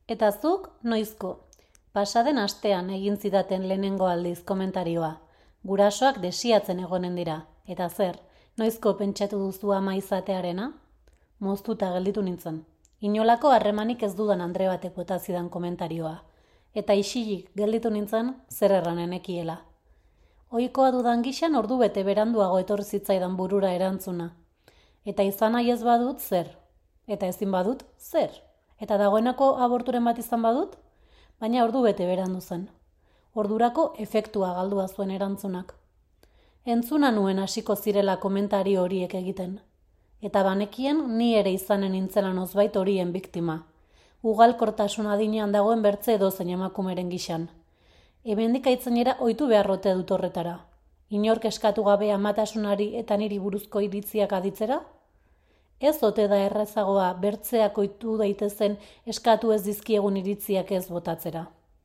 Eta zuk, noizko? Pasaden astean egin zidaten lehenengo aldiz komentarioa. Gurasoak desiatzen egonen dira. Eta zer, noizko pentsatu duzu ama izatearena? Moztuta gelditu nintzen. Inolako harremanik ez dudan andre batek bota zidan komentarioa. Eta isilik gelditu nintzen zer erranen ekiela. Ohikoa dudan gixan ordu bete beranduago etorri zitzaidan burura erantzuna. Eta izan nahi ez badut zer? Eta ezin badut zer? Eta dagoenako aborturen bat izan badut? Baina ordu bete berandu zen. Ordurako efektua galdua zuen erantzunak. Entzuna nuen hasiko zirela komentario horiek egiten. Eta banekien ni ere izanen nintzela nozbait horien biktima. Ugalkortasun adinean dagoen bertze edozein emakumeren gixan. Hemendik aitzainera ohitu beharrote dut horretara. Inork eskatu gabe amatasunari eta niri buruzko iritziak aditzera? Ez ote da errezagoa bertzeak ohitu daitezen eskatu ez dizkiegun iritziak ez botatzera.